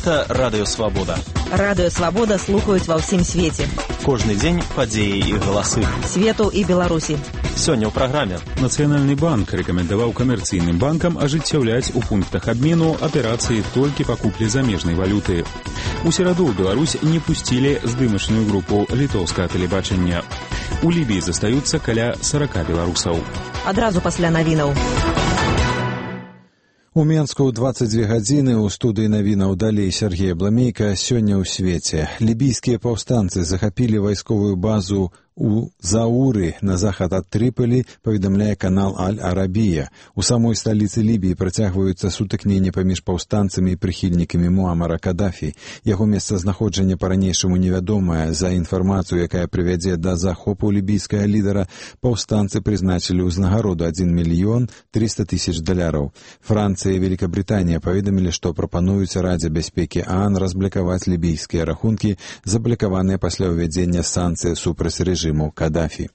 Гэта Радыё Свабода. Радыё Свабода слухаюць ва ўсім свеце. Кожны дзень падзеі і галасы. Свету і Беларусі. Сёння ў праграме. Нацыянальны банк рэкамендаваў камерцыйным банкам ажыццяўляць у пунктах абмену аперацыі толькі па куплі замежнай валюты. У сераду ў Беларусь не пусцілі здымачную групу літоўскага тэлебачання. У Лібіі застаюцца каля 40 беларусаў. Адразу пасля навінаў. У Менску 22 гадзіны ў студыі навінаў далей Сергей Бламейка. Сёння ў свеце. Лібійскія паўстанцы захапілі вайсковую базу у Зауры на захад ад Трыполі, паведамляе канал Аль-Арабія. У самой сталіцы Лібіі працягваюцца сутыкненні паміж паўстанцамі і прыхільнікамі Муамара Кадафі. Яго месцазнаходжанне па-ранейшаму невядомае. За інфармацыю, якая прывядзе да захопу лібійскага лідара, паўстанцы прызначылі ўзнагароду $1 мільён 300 тысяч долараў. Францыя і Великабрытанія паведамілі, што прапануюць Радзе бяспекі ААН разблакаваць лібійскія рахункі, заблакаваныя пасля ўвядзення санкцый супраць рэжыму Кадафі.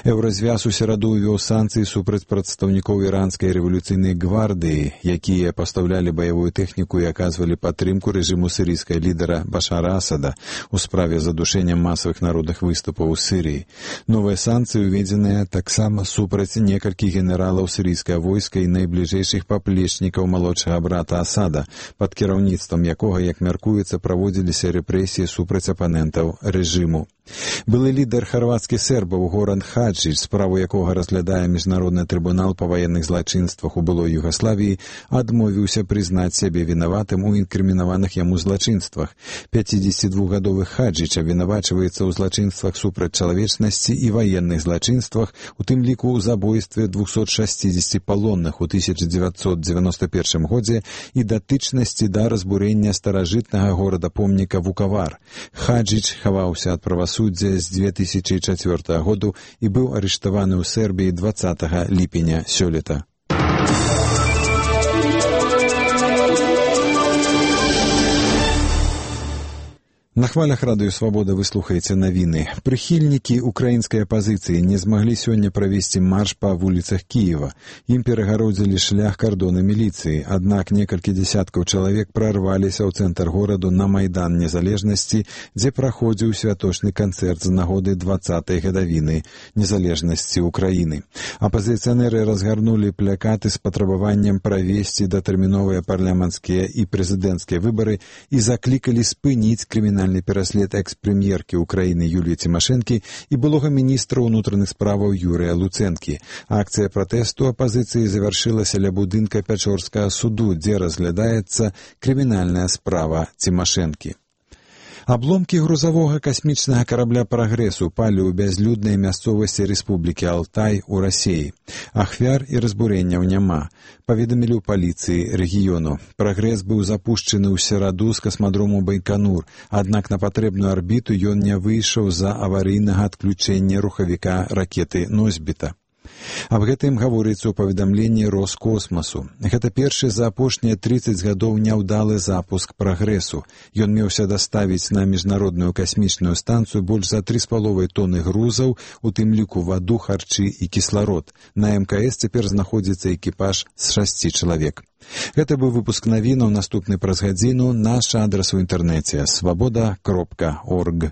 Еўразвяз у сераду ўвёў санкцыі супраць прадстаўнікоў іранскай рэвалюцыйнай гвардыі, якія пастаўлялі баявую тэхніку і аказвалі падтрымку рэжыму сірыйскай лідара Башара Асада у справе задушэння масавых народных выступаў у Сірыі. Новыя санкцыі ўведзеныя таксама супраць некалькіх генералаў сірыйскага войска і найбліжэйшых паплечнікаў малодшага брата Асада, пад кіраўніцтвам якога, як мяркуецца, праводзіліся рэпрэсіі супраць апанентаў рэжыму. Былы лідар харвацкіх сербаў Горан Хаджич, справу якога разглядае Міжнародны трыбунал па ваенных злачынствах у былой Югаславіі, адмовіўся прызнаць сябе вінаватым у інкрымінаваных яму злачынствах. 52-гадовы Хаджич абвінавачваецца ў злачынствах супраць чалавечнасці і ваенных злачынствах, у тым ліку ў забойстве 260 палонных у 1991 годзе і датычнасці да разбурэння старажытнага горада-помніка Вукавар. Хаджич хаваўся ад правасуддзя з 2004 году і быў арыштаваны ў Сербіі 20 ліпеня сёлета. На хвалях Радыё Свабода вы слухаеце навіны. Прыхільнікі украінскай апазіцыі не змаглі сёння правесці марш па вуліцах Кіева. Ім перагародзілі шлях кардоны міліцыі, аднак некалькі дзясяткаў чалавек прарваліся ў цэнтр гораду на Майдан Незалежнасці, дзе праходзіў святочны канцэрт з нагоды 20-й гадавіны незалежнасці Украіны. Апазіцыянеры разгарнулі плакаты з патрабаваннем правесці датэрміновыя парламенцкія і прэзідэнцкія выбары і заклікалі спыніць крымінальны пераслед экс-прэм'еркі Украіны Юліі Цімашэнкі і былога міністра ўнутраных справаў Юрыя Луцэнкі. Акцыя пратэсту апазіцыі завяршылася ля будынка Пячорскага суду, дзе разглядаецца крымінальная справа Цімашэнкі. Абломкі грузавога касмічнага карабля «Прагрэс» упалі ў бязлюднай мясцовасці Рэспублікі Алтай у Расіі. Ахвяр і разбурэнняў няма, паведамілі ў паліцыі рэгіёну. «Прагрэс» быў запушчаны ў сераду з касмадрому Байканур, аднак на патрэбную арбіту ён не выйшаў з-за аварыйнага адключэння рухавіка ракеты «Носьбіта». Аб гэтым гаворыцца ў паведамленні Роскосмасу. Гэта першы за апошнія 30 гадоў няўдалы запуск «Прагрэсу». Ён меўся даставіць на міжнародную касмічную станцыю больш за 3,5 тоны грузаў, у тым ліку ваду, харчы і кісларод. На МКС цяпер знаходзіцца экіпаж з 6 чалавек. Гэта быў выпуск навінаў, наступны праз гадзіну. Наш адрас у інтэрнэце свабода.орг.